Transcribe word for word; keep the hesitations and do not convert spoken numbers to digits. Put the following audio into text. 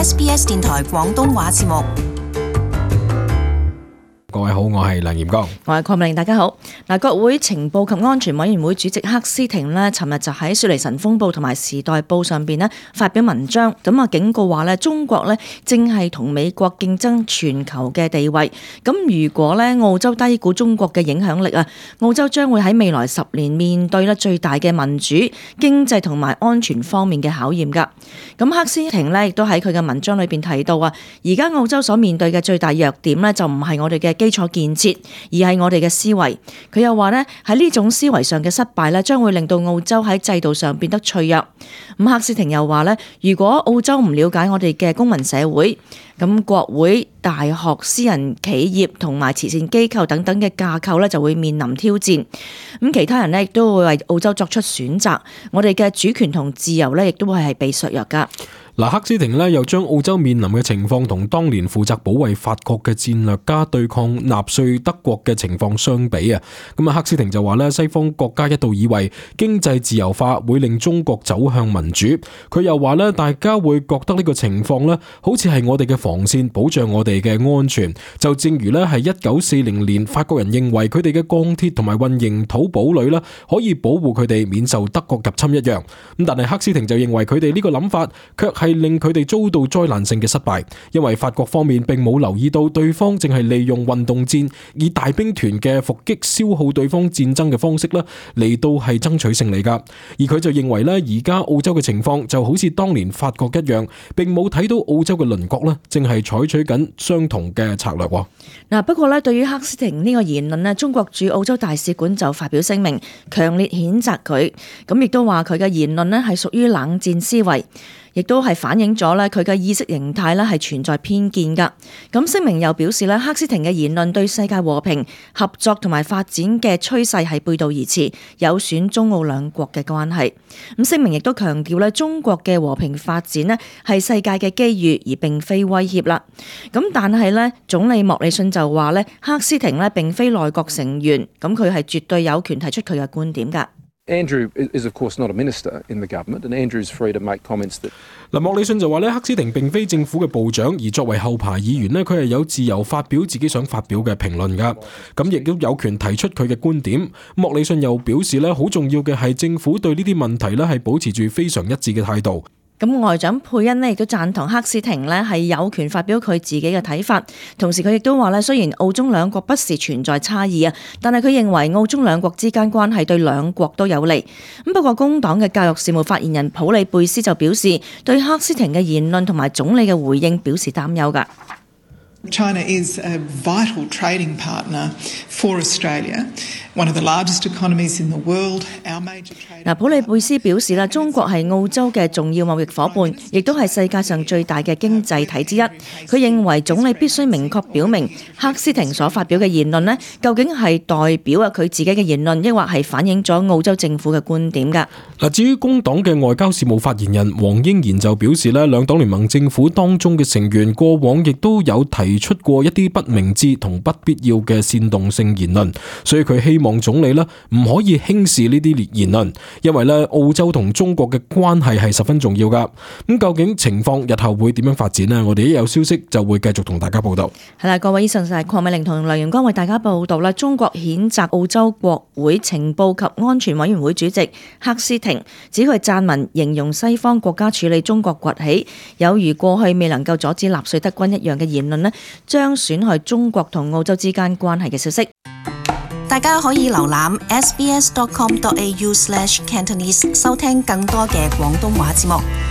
S B S 電台廣東話節目。各位好，我係梁炎剛，我係鄺美玲，大家好。嗱，國會情報及安全委員會主席克斯廷呢，尋日就喺雪梨晨鋒報同埋時代報上邊呢發表文章，咁啊警告話呢，中國呢正係同美國競爭全球嘅地位。咁如果呢澳洲低估中國嘅影響力啊，澳洲將會喺未來十年面對呢最大嘅民主、經濟同埋安全方面嘅考驗噶。咁克斯廷呢亦都喺佢嘅文章裏邊提到啊，而家澳洲所面對嘅最大弱點呢，就唔係我哋嘅基礎建設，而係我哋嘅思維。佢又話呢，喺呢種思維上嘅失敗呢，將會令到澳洲喺制度上變得脆弱。咁克斯廷又話呢，如果澳洲唔了解我哋嘅公民社會，咁國會、大學、私人企業同埋慈善機構等等嘅架構呢，就會面臨挑戰。咁其他人呢，亦都會為澳洲作出選擇。我哋嘅主權同自由呢，亦都會係被削弱噶。嗱，克斯廷呢又將澳洲面臨嘅情況同當年負責保衛法國嘅戰略家對抗納粹德國嘅情況相比啊，咁啊克斯廷就話呢，西方國家一度以為經濟自由化會令中國走向民主，佢又話呢，大家會覺得呢個情況呢好似係我哋嘅防線，保障我哋嘅安全，就正如呢係一九四零年法國人認為佢哋嘅鋼鐵同埋混凝土堡壘呢可以保護佢哋免受德國入侵一樣。咁但係克斯廷就認為佢哋呢個諗法卻係令佢哋遭到災難性嘅失敗，因為法國方面並冇留意到對方正係利用運動戰以大兵團嘅伏擊消耗對方戰爭嘅方式啦，嚟到係爭取勝利噶。而佢就認為咧，而家澳洲嘅情況就好似當年法國一樣，並冇睇到澳洲嘅鄰國咧，正係採取緊相同嘅策略。嗱，不過咧，對於克斯廷呢個言論咧，中國駐澳洲大使館就發表聲明，強烈譴責佢，咁亦都話佢嘅言論咧係屬於冷戰思維，亦都係反映咗咧佢嘅意識形態咧係存在偏見噶。咁聲明又表示咧，克斯廷嘅言論對世界和平、合作同埋發展嘅趨勢係背道而馳，有損中澳兩國嘅關係。咁聲明亦都強調咧，中國嘅和平發展咧係世界嘅機遇，而並非威脅啦。咁但係咧，總理莫里遜就話咧，克斯廷咧並非內閣成員，咁佢係絕對有權提出佢嘅觀點噶。Andrew is of course not a minister in the government, and Andrew's free to make comments that. 嗱，莫里遜就話咧，克斯廷並非政府嘅部長，而作為後排議員咧，佢係有自由發表自己想發表嘅評論噶，咁亦都有權提出佢嘅觀點。莫里遜又表示咧，好重要嘅係政府對呢啲問題咧係保持住非常一致嘅態度。咁外長佩恩呢亦都贊同克斯廷呢係有權發表佢自己嘅睇法，同時佢亦都話咧，雖然澳中兩國不時存在差異啊，但係佢認為澳中兩國之間關係對兩國都有利。咁不過工黨嘅教育事務發言人普利貝斯就表示，對克斯廷嘅言論同埋總理嘅回應表示擔憂㗎。China is a vital trading partner for Australia, one of the largest economies in the world. Our major trade. 嗱，普利貝斯表示啦，中國係澳洲嘅重要貿易夥伴，亦都係世界上最大嘅經濟體之一。佢認為總理必須明確表明，克斯廷所發表嘅言論呢，究竟係代表啊佢自己嘅言論，抑或係反映咗澳洲政府嘅觀點㗎。嗱，至於工黨嘅外交事務發言人黃英賢就表示咧，兩黨聯盟政府當中嘅成員過往亦都有提出過一啲不明智同不必要嘅煽動性言論，所以佢希望總理咧唔可以輕視呢啲言論，因為咧澳洲同中國嘅關係係十分重要噶。咁究竟情況日後會點樣發展呢？我哋一有消息就會繼續同大家報道。係啦，各位，以上就係鄺美玲同梁元光為大家報道啦。中國譴責澳洲國會情報及安全委員會主席克斯廷，指佢撰文形容西方國家處理中國崛起有如過去未能夠阻止納粹德軍一樣嘅言論呢，將損害中國同澳洲之間關係嘅消息。大家可以瀏覽 s b s dot com dot a u slash cantonese 收聽更多嘅廣東話節目。